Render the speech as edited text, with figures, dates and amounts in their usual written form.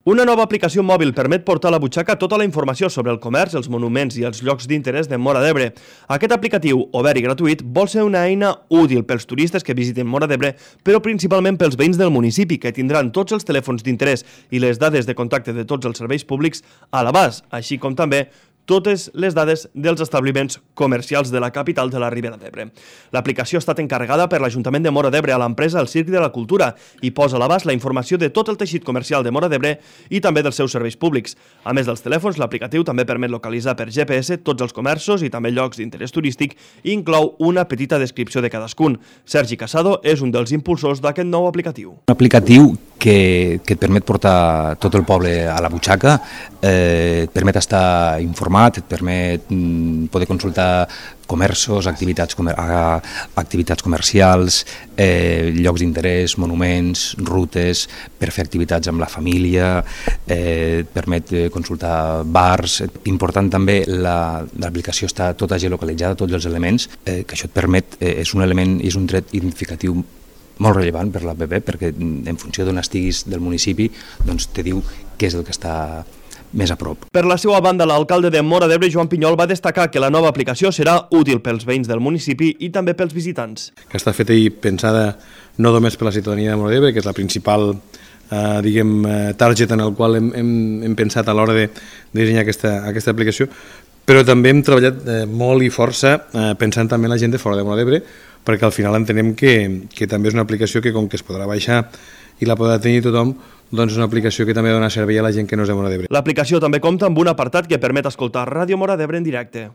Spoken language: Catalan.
Una nova aplicació mòbil permet portar a la butxaca tota la informació sobre el comerç, els monuments i els llocs d'interès de Móra d'Ebre. Aquest aplicatiu, obert i gratuït, vol ser una eina útil pels turistes que visiten Móra d'Ebre, però principalment pels veïns del municipi, que tindran tots els telèfons d'interès i les dades de contacte de tots els serveis públics a l'abast, així com també totes les dades dels establiments comercials de la capital de la Ribera d'Ebre. L'aplicació ha estat encarregada per l'Ajuntament de Móra d'Ebre a l'empresa El Circ de la Cultura i posa a l'abast la informació de tot el teixit comercial de Móra d'Ebre i també dels seus serveis públics. A més dels telèfons, l'aplicatiu també permet localitzar per GPS tots els comerços i també llocs d'interès turístic i inclou una petita descripció de cadascun. Sergi Casado és un dels impulsors d'aquest nou aplicatiu. Un aplicatiu que et permet portar tot el poble a la butxaca, et permet estar informat, et permet poder consultar comerços, activitats comercials, llocs d'interès, monuments, rutes, per fer activitats amb la família, et permet consultar bars. Important també, l'aplicació està tota geolocalitzada, tots els elements, que això et permet, és un element, és un tret identificatiu molt rellevant per l'APP, perquè en funció d'on estiguis del municipi, doncs te diu què és el que està més a prop. Per la seva banda, l'alcalde de Móra d'Ebre, Joan Pinyol, va destacar que la nova aplicació serà útil pels veïns del municipi i també pels visitants. Que està feta i pensada no només per la ciutadania de Móra d'Ebre, que és la principal target en el qual hem pensat a l'hora de dissenyar aquesta aplicació, però també hem treballat molt i força pensant també en la gent de fora de Móra d'Ebre, perquè al final entenem que també és una aplicació que, com que es podrà baixar i la podrà tenir tothom, doncs és una aplicació que també dona servei a la gent que no és de Móra d'Ebre. L'aplicació també compta amb un apartat que permet escoltar Ràdio Móra d'Ebre en directe.